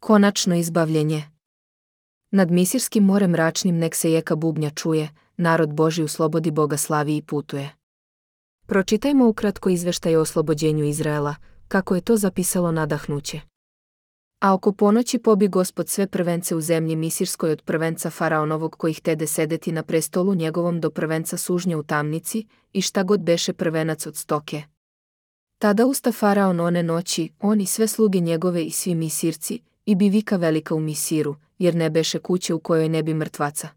Konačno izbavljenje. Nad Misirskim morem mračnim nek se jeka bubnja čuje, narod Božji u slobodi Boga slavi i putuje. Pročitajmo ukratko izveštaj o oslobođenju Izraela, kako je to zapisalo nadahnuće. A oko ponoći pobi Gospod sve prvence u zemlji Misirskoj od prvenca faraonovog koji htede sedeti na prestolu njegovom do prvenca sužnja u tamnici, i šta god beše prvenac od stoke. Tada usta faraon one noći, on i sve sluge njegove i svi Misirci, i bi vika velika u Misiru, jer ne beše kuće u kojoj ne bi mrtvaca.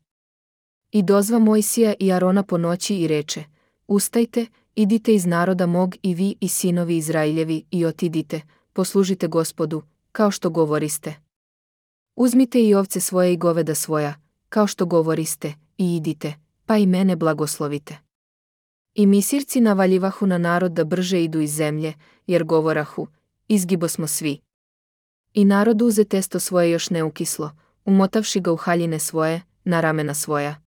I dozva Mojsija i Arona po noći i reče: Ustajte, idite iz naroda mog i vi i sinovi Izrailjevi i otidite, poslužite Gospodu, kao što govoriste. Uzmite i ovce svoje i goveda svoja, kao što govoriste, i idite, pa i mene blagoslovite. I Misirci navaljivahu na narod da brže idu iz zemlje, jer govorahu: Izgibo smo svi. I narod uze testo svoje još neukislo, umotavši ga u haljine svoje, na ramena svoja.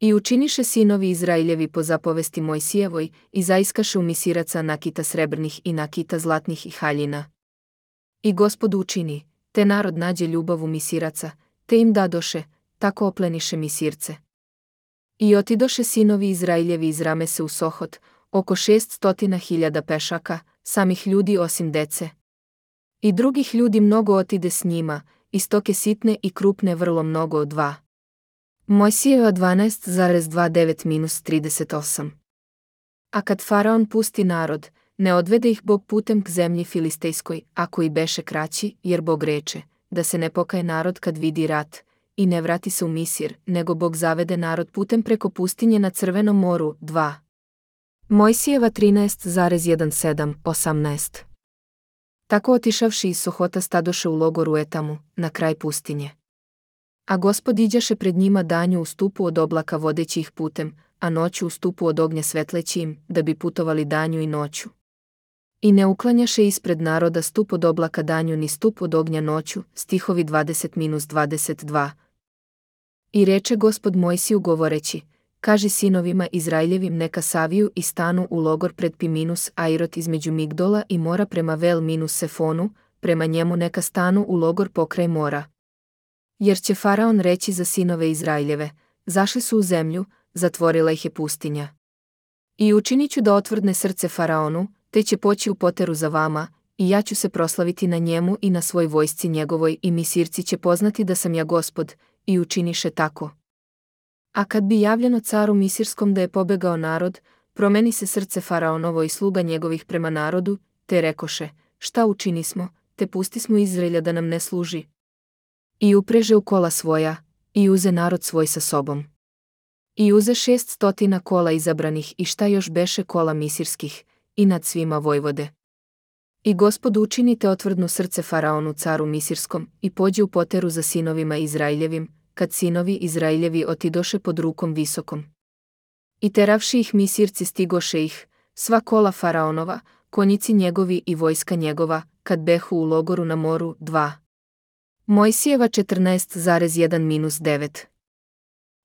I učiniše sinovi Izrailjevi po zapovesti Mojsijevoj, i zaiskaše u Misiraca nakita srebrnih i nakita zlatnih i haljina. I Gospod učini, te narod nađe ljubav u Misiraca, te im dadoše, tako opleniše Misirce. I otidoše sinovi Izrailjevi iz Ramese u Sohot, oko 600.000 pešaka, samih ljudi osim dece. I drugih ljudi mnogo otide s njima, i stoke sitne i krupne vrlo mnogo od 2. Mojsijeva 12,29-38. A kad faraon pusti narod, ne odvede ih Bog putem k zemlji Filistejskoj, ako i beše kraći, jer Bog reče, da se ne pokaje narod kad vidi rat, i ne vrati se u Misir, nego Bog zavede narod putem preko pustinje na Crvenom moru. 2. Mojsijeva 13,17-18. Tako otišavši iz Sohota stadoše u logoru Etamu, na kraj pustinje. A Gospod iđaše pred njima danju u stupu od oblaka vodeći ih putem, a noću u stupu od ognja svetleći im, da bi putovali danju i noću. I ne uklanjaše ispred naroda stup od oblaka danju ni stup od ognja noću, stihovi 20-22. I reče Gospod Mojsiju govoreći: Kaži sinovima Izraeljevim neka saviju i stanu u logor pred Piminus Airot između Migdola i mora prema Vel minus Sefonu, prema njemu neka stanu u logor pokraj mora. Jer će faraon reći za sinove Izraeljeve: Zašli su u zemlju, zatvorila ih je pustinja. I učinit ću da otvrdne srce faraonu, te će poći u poteru za vama, i ja ću se proslaviti na njemu i na svoj vojsci njegovoj, i Misirci će poznati da sam ja Gospod, i učiniše tako. A kad bi javljeno caru Misirskom da je pobegao narod, promeni se srce faraonovo i sluga njegovih prema narodu, te rekoše: Šta učinismo, te pustismo Izraelja da nam ne služi. I upreže u kola svoja, i uze narod svoj sa sobom. I uze 600 kola izabranih i šta još beše kola misirskih, i nad svima vojvode. I Gospod učinite otvrdnu srce faraonu caru Misirskom, i pođe u poteru za sinovima Izraeljevim, kad sinovi Izraeljevi otidoše pod rukom visokom. I teravši ih Misirci stigoše ih, sva kola faraonova, konjici njegovi i vojska njegova, kad behu u logoru na moru. 2. Mojsijeva 14,1-9.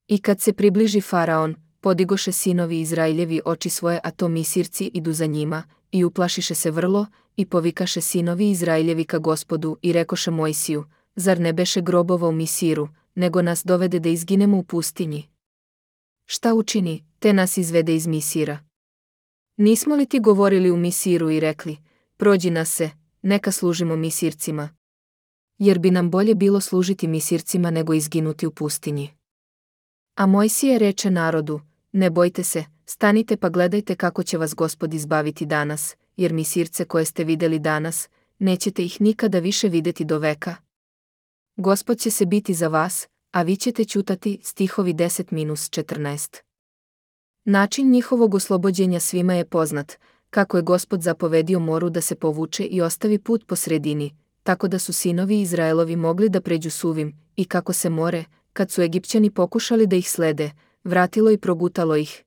I kad se približi faraon, podigoše sinovi Izraeljevi oči svoje, a to Misirci idu za njima, i uplašiše se vrlo, i povikaše sinovi Izraeljevi ka Gospodu, i rekoše Mojsiju: Zar ne beše grobova u Misiru, nego nas dovede da izginemo u pustinji? Šta učini, te nas izvede iz Misira? Nismo li ti govorili u Misiru i rekli: Prođi nas se, neka služimo Misircima? Jer bi nam bolje bilo služiti Misircima nego izginuti u pustinji. A Mojsije reče narodu: Ne bojte se, stanite pa gledajte kako će vas Gospod izbaviti danas, jer Misirce koje ste vidjeli danas, nećete ih nikada više vidjeti do veka. Gospod će se biti za vas, a vi ćete ćutati. Stihovi 10-14. Način njihovog oslobođenja svima je poznat, kako je Gospod zapovedio moru da se povuče i ostavi put po sredini, tako da su sinovi Izraelovi mogli da pređu suvim, i kako se more, kad su Egipćani pokušali da ih slede, vratilo i progutalo ih.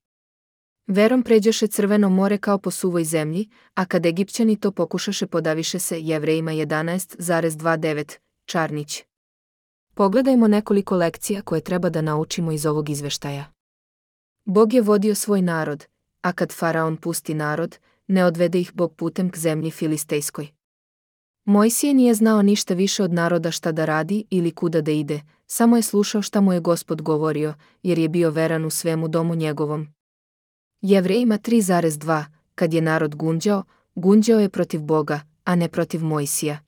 Verom pređoše Crveno more kao po suvoj zemlji, a kad Egipćani to pokušaše podaviše se. Jevrejima 11,29. Čarnić. Pogledajmo nekoliko lekcija koje treba da naučimo iz ovog izveštaja. Bog je vodio svoj narod, a kad faraon pusti narod, ne odvede ih Bog putem k zemlji Filistejskoj. Mojsije nije znao ništa više od naroda šta da radi ili kuda da ide, samo je slušao šta mu je Gospod govorio, jer je bio veran u svemu domu njegovom. Jevrejima 3,2. Kad je narod gunđao je protiv Boga, a ne protiv Mojsija.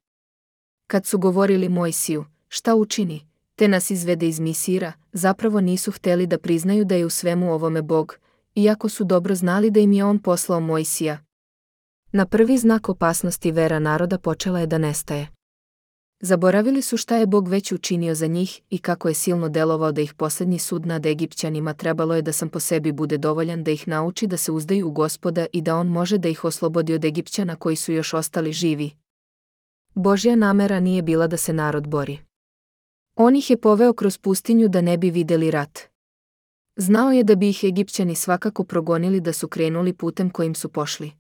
Kad su govorili Mojsiju, šta učini, te nas izvede iz Misira, zapravo nisu htjeli da priznaju da je u svemu ovome Bog, iako su dobro znali da im je on poslao Mojsija. Na prvi znak opasnosti vera naroda počela je da nestaje. Zaboravili su šta je Bog već učinio za njih i kako je silno delovao da ih posljednji sud nad Egipćanima trebalo je da sam po sebi bude dovoljan da ih nauči da se uzdaju u Gospoda i da on može da ih oslobodi od Egipćana koji su još ostali živi. Božja namera nije bila da se narod bori. On ih je poveo kroz pustinju da ne bi vidjeli rat. Znao je da bi ih Egipćani svakako progonili da su krenuli putem kojim su pošli.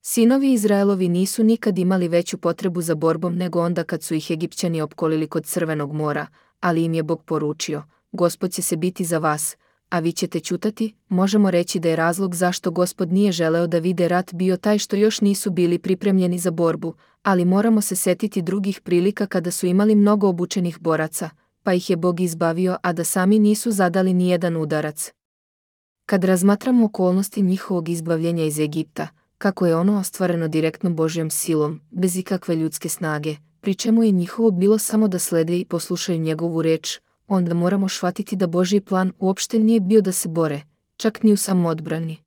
Sinovi Izraelovi nisu nikad imali veću potrebu za borbom nego onda kad su ih Egipćani opkolili kod Crvenog mora, ali im je Bog poručio, Gospod će se biti za vas, a vi ćete ćutati. Možemo reći da je razlog zašto Gospod nije želeo da vide rat bio taj što još nisu bili pripremljeni za borbu, ali moramo se setiti drugih prilika kada su imali mnogo obučenih boraca, pa ih je Bog izbavio, a da sami nisu zadali ni jedan udarac. Kad razmatramo okolnosti njihovog izbavljenja iz Egipta, kako je ono ostvareno direktnom Božjom silom, bez ikakve ljudske snage, pri čemu je njihovo bilo samo da slede i poslušaju njegovu reč, onda moramo shvatiti da Božji plan uopšte nije bio da se bore, čak ni u samoodbrani.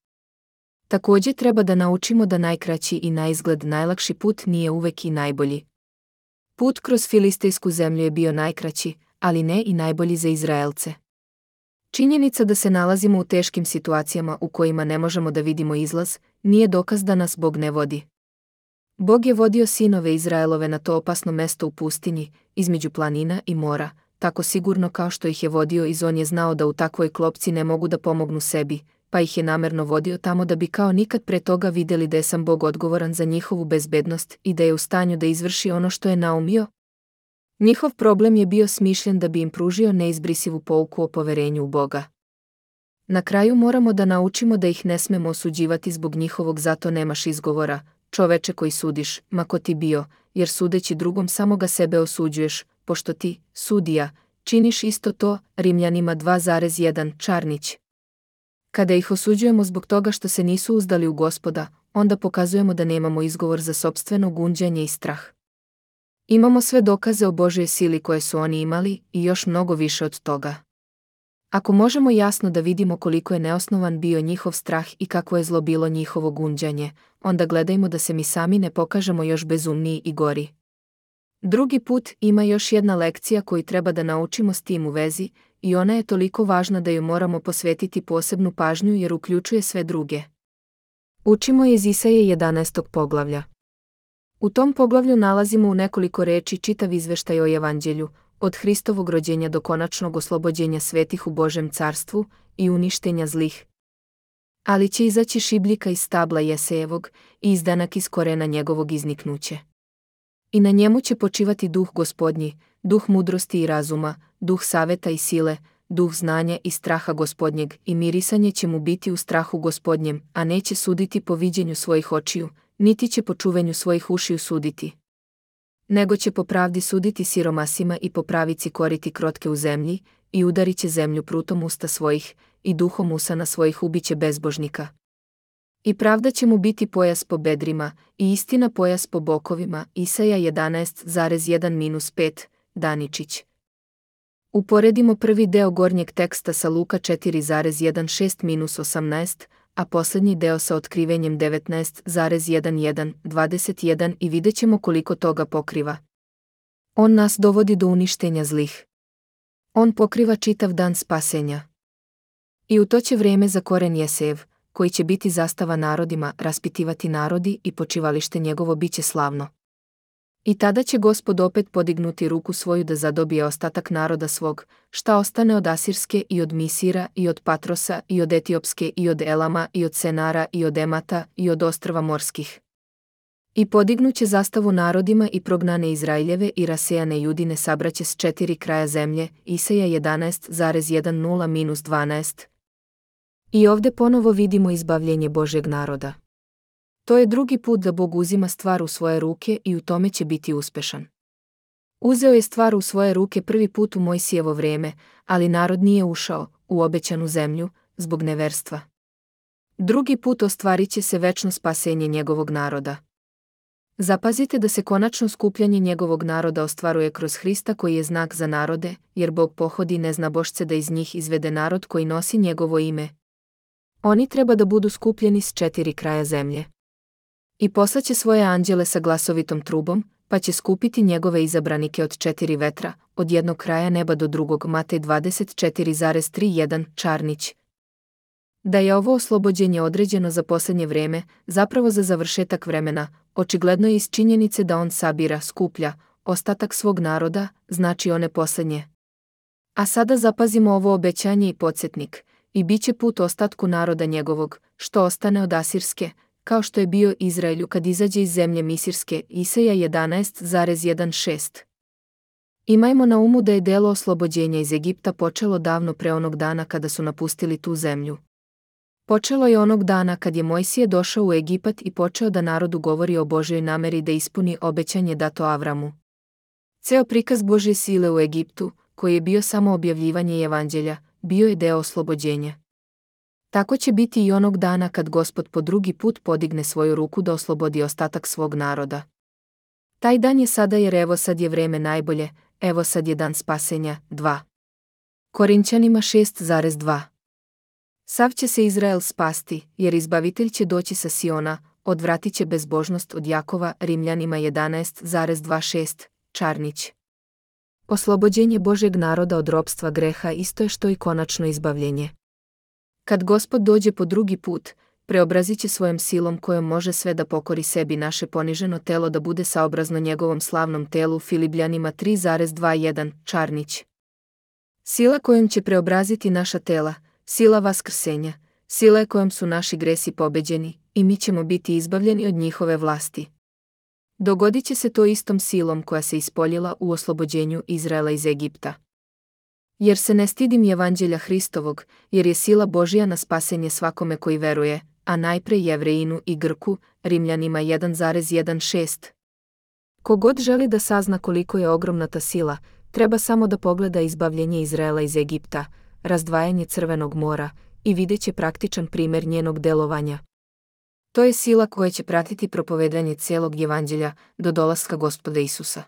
Također treba da naučimo da najkraći i naizgled najlakši put nije uvek i najbolji. Put kroz filistejsku zemlju je bio najkraći, ali ne i najbolji za Izraelce. Činjenica da se nalazimo u teškim situacijama u kojima ne možemo da vidimo izlaz, nije dokaz da nas Bog ne vodi. Bog je vodio sinove Izraelove na to opasno mesto u pustinji, između planina i mora, tako sigurno kao što ih je vodio i on je znao da u takvoj klopci ne mogu da pomognu sebi, pa ih je namerno vodio tamo da bi kao nikad pre toga vidjeli da je sam Bog odgovoran za njihovu bezbednost i da je u stanju da izvrši ono što je naumio. Njihov problem je bio smišljen da bi im pružio neizbrisivu pouku o poverenju u Boga. Na kraju moramo da naučimo da ih ne smemo osuđivati zbog njihovog zato nemaš izgovora, čoveče koji sudiš, ma ko ti bio, jer sudeći drugom samo ga sebe osuđuješ, pošto ti, sudija, činiš isto to. Rimljanima 2,1 Čarnić. Kada ih osuđujemo zbog toga što se nisu uzdali u Gospoda, onda pokazujemo da nemamo izgovor za sopstveno gunđanje i strah. Imamo sve dokaze o Božjoj sili koje su oni imali i još mnogo više od toga. Ako možemo jasno da vidimo koliko je neosnovan bio njihov strah i kako je zlo bilo njihovo gunđanje, onda gledajmo da se mi sami ne pokažemo još bezumniji i gori. Drugi put ima još jedna lekcija koju treba da naučimo s tim u vezi i ona je toliko važna da joj moramo posvetiti posebnu pažnju jer uključuje sve druge. Učimo iz Isaije 11. poglavlja. U tom poglavlju nalazimo u nekoliko reči čitav izveštaj o Evanđelju, od Hristovog rođenja do konačnog oslobođenja svetih u Božem carstvu i uništenja zlih. Ali će izaći šibljika iz stabla Jesejevog i izdanak iz korena njegovog izniknuće. I na njemu će počivati duh Gospodnji, duh mudrosti i razuma, duh saveta i sile, duh znanja i straha Gospodnjeg, i mirisanje će mu biti u strahu Gospodnjem, a neće suditi po viđenju svojih očiju, niti će po čuvenju svojih ušiju suditi. Nego će po pravdi suditi siromasima i po pravici koriti krotke u zemlji, i udarit će zemlju prutom usta svojih, i duhom usana svojih ubiće bezbožnika. I pravda će mu biti pojas po bedrima, i istina pojas po bokovima. Isaja 11,1-5, Daničić. Uporedimo prvi deo gornjeg teksta sa Luka 4,16-18, a posljednji deo sa otkrivenjem 19,11-21 i vidjet ćemo koliko toga pokriva. On nas dovodi do uništenja zlih. On pokriva čitav dan spasenja. I u to će vreme za koren Jesejev, koji će biti zastava narodima, raspitivati narodi i počivalište njegovo biće slavno. I tada će Gospod opet podignuti ruku svoju da zadobije ostatak naroda svog, šta ostane od Asirske i od Misira i od Patrosa i od Etiopske i od Elama i od Senara i od Emata i od ostrva morskih. I podignuće zastavu narodima i prognane Izraeljeve i rasejane Judine sabraće s 4 kraja zemlje. Isaja 11,10-12. I ovdje ponovo vidimo izbavljenje Božjeg naroda. To je drugi put da Bog uzima stvar u svoje ruke i u tome će biti uspešan. Uzeo je stvar u svoje ruke prvi put u Mojsijevo vrijeme, ali narod nije ušao u obećanu zemlju zbog neverstva. Drugi put ostvarit će se večno spasenje njegovog naroda. Zapazite da se konačno skupljanje njegovog naroda ostvaruje kroz Hrista koji je znak za narode, jer Bog pohodi neznabošce da iz njih izvede narod koji nosi njegovo ime. Oni treba da budu skupljeni s 4 kraja zemlje. I poslaće svoje anđele sa glasovitom trubom, pa će skupiti njegove izabranike od 4 vetra, od jednog kraja neba do drugog. Matej 24,31 Čarnić. Da je ovo oslobođenje određeno za posljednje vrijeme, zapravo za završetak vremena, očigledno je iz činjenice da on sabira, skuplja, ostatak svog naroda, znači one posljednje. A sada zapazimo ovo obećanje i podsjetnik, i bit će put ostatku naroda njegovog, što ostane od Asirske, kao što je bio Izraelju kad izađe iz zemlje Misirske. Isaija 11,16. Imajmo na umu da je delo oslobođenja iz Egipta počelo davno pre onog dana kada su napustili tu zemlju. Počelo je onog dana kad je Mojsije došao u Egipat i počeo da narodu govori o Božjoj nameri da ispuni obećanje dato Avramu. Ceo prikaz Božje sile u Egiptu, koji je bio samo objavljivanje evanđelja, bio je deo oslobođenja. Tako će biti i onog dana kad Gospod po drugi put podigne svoju ruku da oslobodi ostatak svog naroda. Taj dan je sada jer evo sad je vreme najbolje, evo sad je dan spasenja. 2. Korinćanima 6,2. Sav će se Izrael spasti, jer izbavitelj će doći sa Siona, odvratit će bezbožnost od Jakova. Rimljanima 11,26 Čarnić. Oslobođenje Božjeg naroda od ropstva greha isto je što i konačno izbavljenje. Kad Gospod dođe po drugi put, preobrazit će svojom silom kojom može sve da pokori sebi naše poniženo telo da bude saobrazno njegovom slavnom telu. Filipljanima 3,21 Čarnić. Sila kojom će preobraziti naša tela, sila vaskrsenja, sila je kojom su naši gresi pobeđeni, i mi ćemo biti izbavljeni od njihove vlasti. Dogodit će se to istom silom koja se ispoljila u oslobođenju Izraela iz Egipta. Jer se ne stidim evanđelja Hristovog, jer je sila Božja na spasenje svakome koji veruje, a najpre Jevrejinu i Grku. Rimljanima 1,16. Kogod želi da sazna koliko je ogromna ta sila, treba samo da pogleda izbavljenje Izraela iz Egipta, razdvajanje Crvenog mora, i vidjet će praktičan primjer njenog delovanja. To je sila koja će pratiti propovedanje cijelog evanđelja do dolaska Gospoda Isusa.